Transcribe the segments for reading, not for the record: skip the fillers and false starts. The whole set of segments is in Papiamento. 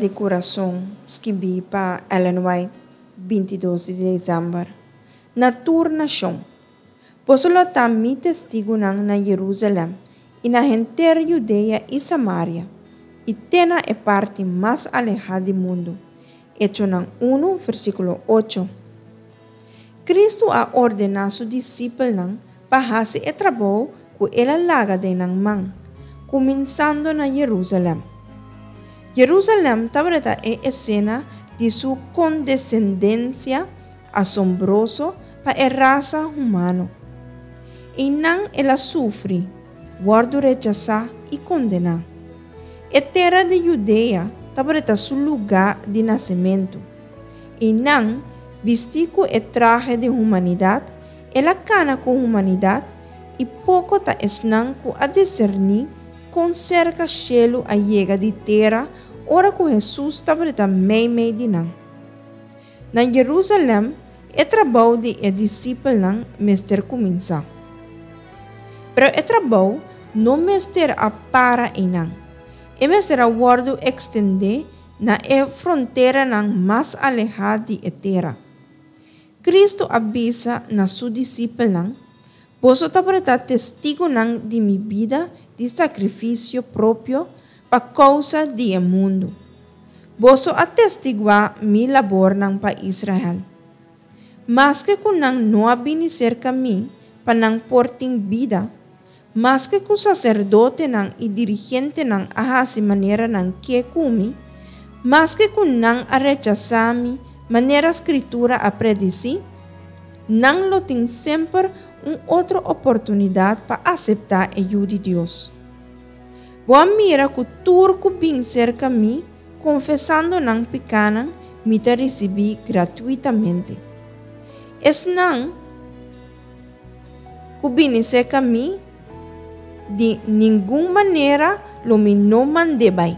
di Kurason, skibí pa Ellen White, 22 di desèmber. Na tur nashon. Boso lo ta mi testigunan na Yerusalèm i na henter Judea i Samaria, i te na e parti mas alehá di mundu. Echonan 1, versíkulo 8. Kristu a ordená su disipelnan pa hasi e trabou ku el a laga den nan man, kuminsando na Yerusalèm. Yerusalèm tabata e esena di su kondesendensia asombroso pa e rasa humano. Einan el a sufri, wòrdu rechasá i kondená. E tera di Judea tabata su lugá di nasementu. Einan, bistí ku e trahe di humanidat, el a kana ku humanidat i poko ta esnan ku a diserní kon serka shelu a yega di tera ora ku Hesus tabata meimei di nan. Na Jerusalèm, e trabou di e disipelnan mester kuminsá. Pero e trabou no mester a para einan. E mester a wòrdu ekstendé na e fronteranan mas alehá di e tera. Kristu a bisa na su disipelnan, Boso tabata testigunan di mi bida di sakrifisio propio pa kousa di e mundu. Boso a testiguá mi labornan pa Israel. Maske ku nan no a bini serka mi pa nan por tin bida, maske ku saserdotenan i dirigentenan a hasi manera nan ke ku mi, maske ku nan a rechasá mi manera Skritura a predisí, nan lo tin semper un otro oportunidat pa aseptá e Yu di Dios. Bo a mira ku tur ku bin serka mi konfesando nan pikánan mi ta risibí gratuitamente. Esnan ku bini serka mi, di ningun manera lo mi no mand'é bai.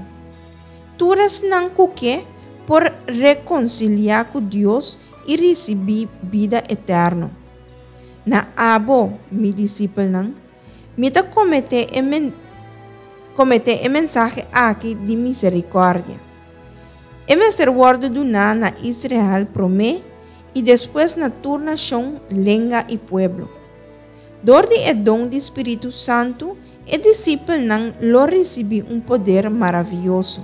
Tur esnan ku ke por rekonsiliá ku Dios i risibí bida eterno. Na abo, mi disipelnan, Mi ta kometé e kometé e mensahe aki di miserikòrdia. E mester wòrdu duná na Israel promé i despues na tur nashon, lenga i pueblo. Dor di e don di Spiritu Santu, e disipelnan lo risibí un poder maravioso.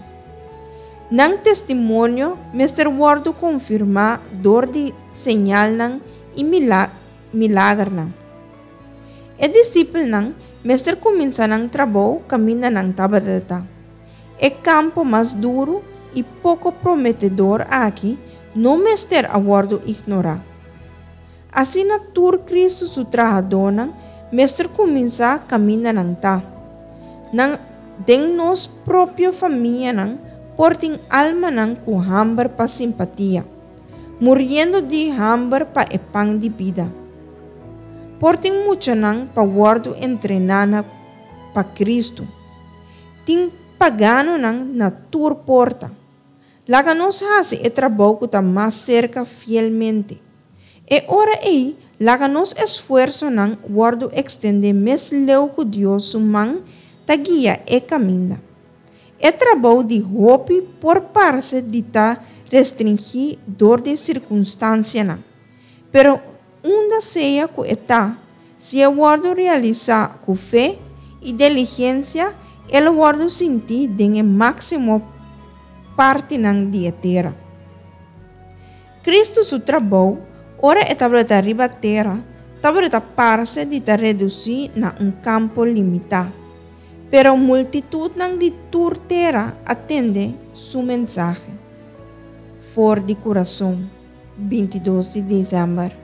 Nan testimonio mester wòrdu konfirmá dor di señalnan i milagernan. E disipelnan mester kuminsá nan trabou kaminda nan tabata ta. E kampo mas duru i poko prometedor aki no mester a wòrdu ignorá. Asina tur Kristu su trahadónan mester kuminsá kaminda nan ta. Nan den nos propio famianan por tin almanan ku hamber pa simpatia, muriendo di hamber pa e pan di bida. Por tin muchanan pa wòrdu entrená na pa Kristu. Tin paganonan na tur porta. Laga nos hasi e trabou ku ta mas serka fielmente. E ora ei, laga nos esfuersonan wòrdu ekstendé mes leu ku Dios su man ta guia e kaminda. E trabou di hopi por parse di ta restringí dor di sirkunstansianan. Pero unda sea ku e ta, si e wòrdu realisá ku fe i diligensia, e lo wòrdu sintí den e máksimo partinan di e tera. Kristu su trabou, ora e tabata riba tera, tabata parse di ta redusí na un kampo limitá. Pero multitutnan di tur tera a tende su mensahe for di kurason. 22 di desèmber.